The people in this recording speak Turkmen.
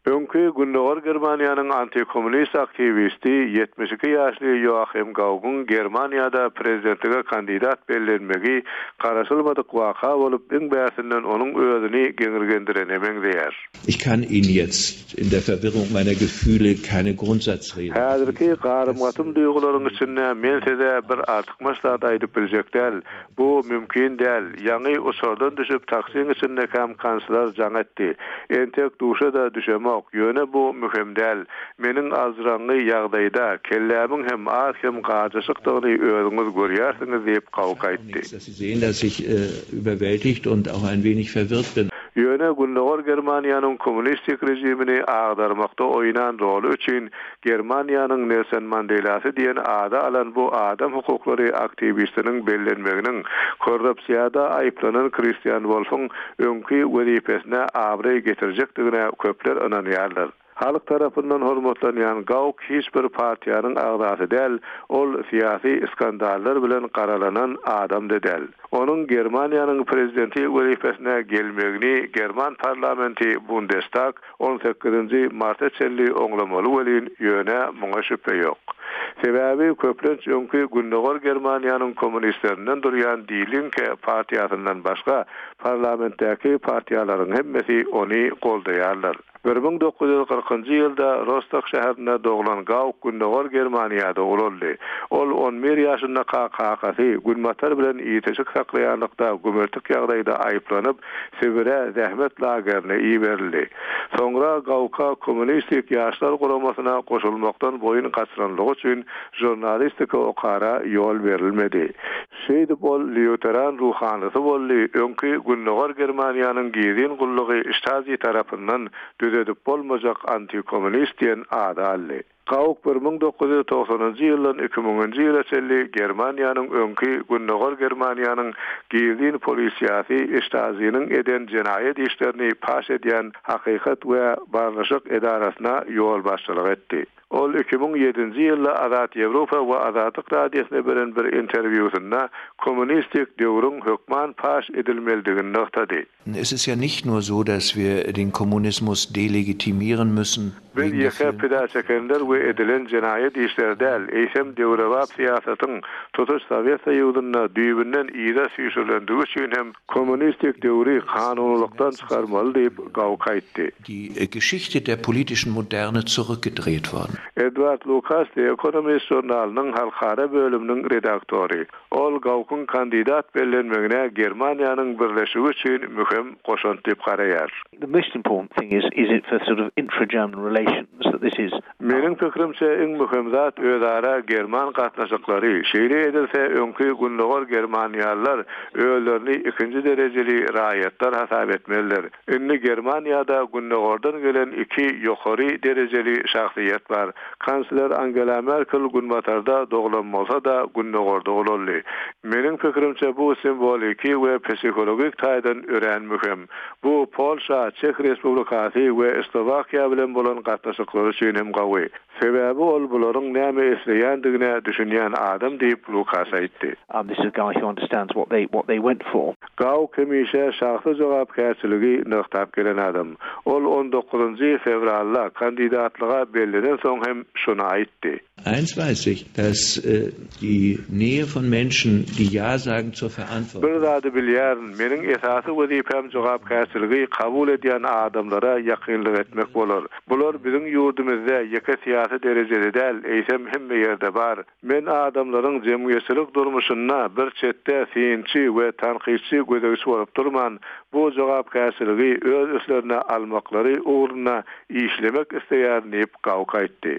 Öňki Gündogar Germaniýanyň antikommunist aktiwisti, 72 ýaşly Ýoahim Gaugyň Germaniýada prezidentlige kandidat bellenmegi garaşylmadyk waka bolup, iň bärsinden onuň özüni geňirgendirene meňzeýär. Ich kann Ihnen jetzt in der Verwirrung meiner Gefühle keine Grundsatzrede. Häzirki garym-gatym duýgularyň içinde men size bir artykmaç zat aýdyp biljek däl. Bu mümkin däl. Ýaňy uçardan düşüp taksiň içindekäm kansler jaň etdi. Entek duşa-da düşemok. Ýöne bu möhüm däl. Meniň aljyraňňy ýagdaýda, kellämiň hem az-kem gajaşykdygyny özüňiz görýärsiňiz diýip, Gauck aýtdy. Ýöne Gündogar Germaniýanyň kommunistik režimini agdarmakda oýnan roly üçin Germaniýanyň Nelson Mandelasy diýen ady alan bu adam hukuklary aktiwistiniň bellenmeginiň korrupsiýada aýyplanan Kristian Wolfyň öňki wezipesine abraý getirjekdigine köpler ynanýarlar. Halk tarapyndan hormatlanýan Gauk hiç bir partiýanyň agzasy däl, ol syýasy skandallar bilen garalanan adam-da däl. Onuň Germaniýanyň prezidenti wezipesine gelmegini german parlamenti Bundestag On sekizinji marta çenli oňlamaly welin, ýöne muňa şübhe ýok. Sebäbi köplenç öňki Gündogar Germaniýanyň kommunistlerinden durýan Die Linke partiýasyndan başga parlamentdäki partiýalaryň hemmesi ony goldaýarlar. 1940-njy ýylda Rostok şäherinde doglan Gauk Gündogar Germaniýada ulaldy. Ol on bir ýaşyndaka kakasy Günbatar bilen ilteşik saklaýanlykda gümürtik ýagdaýda aýyplanyp, Sibire zähmet lagerine iberildi. Soňra Gauka Kommunistik ýaşlar guramasyna goşulmakdan boýun gaçyranlygy üçin žurnalistika okara ýol berilmedi. Şeýdip ol lýuteran ruhanysy boldy, öňki Gündogar Germaniýanyň gizlin gullugy Ştazi tarapyndan düzedip bolmajak antikommunist diýen ady aldy. Gauk 1990-njy ýyldan 2000-nji ýyla çenli Germaniýanyň öňki Gündogar Germaniýanyň gizlin polisiýasy Ştaziniň eden jenaýat işlerini paş edýän Hakykat we barlyşyk edarasyna ýolbaşçylyk etdi. Ol 2007-nji ýylda Azat Ýewropa we Azatlyk Radiosyna beren bir interwýusynda kommunistik döwrüň hökman paş edilmelidigini nygtady. Es ist ja nicht nur so, dass wir den Kommunismus delegitimieren müssen Biz wegen der ýeke vielen pida çekenler we edilen jenaýat işleri däl, eýsem döwrebap syýasatyň tutuş Sowet Soýuzynda düýbünden yza süýşürilendigi üçin hem kommunistik döwri kanunylykdan çykarmaly diýip, Gauk aýtdy. Die Geschichte der politischen Moderne zurückgedreht worden. Edward Lukas The Economist žurnalynyň halkara bölüminiň redaktory. Ol Gaukyň kandidat bellenmegine Germaniýanyň birleşigi üçin möhüm goşant diýip garaýar. The most important thing is is it for sort of intra-German relations that this is. Meniň pikirimçe, iň möhüm zat özara german gatnaşyklary. Şeýle edilse, öňki gündogar germaniýalylar özlerini ikinji derejeli raýatlar hasap etmezler. Indi Germaniýada Gündogardan gelen iki ýokary derejeli şahsyýet bar. Kansler Angela Merkel Günbatarda doglan bolsa-da, Gündogarda ulaldy. Meniň pikirimçe, bu simwoliki we psihologik taýdan örän möhüm. Bu Polşa, Çeh Respublikasy we Slowakiýa bilen bolan gatnaşyklar üçin hem gawy. Sebäbi ol bularyň näme isleýändigine düşünýän adam diýip, Lukas aýtdy. This is a guy who understands what they what they went for. Gauk hemişe şahsy jogapkärçiligi nygtap gelen adam. Ol on dokuzynjy fewralda kandidatlyga bellenen soň hem şuny aýtdy. Eins weiß ich, dass die Nähe von Menschen, die Ja sagen zur Verantwortung. Bir zady bilýärin, meniň esasy wezipäm jogapkärçiligi kabul edýän adamlara ýakynlyk etmek bolar. Bular biziň ýurdumyzda ýeke syýasy derejede däl, eýsem hemme ýerde bar. Men adamlaryň jemgyýetçilik durmuşynda bir çetde synçy we tankytçy gözegçi bolup durman, bu jogapkärçiligi öz üstlerine almaklary ugrunda işlemek isleýärin diýip, Gauk aýtdy.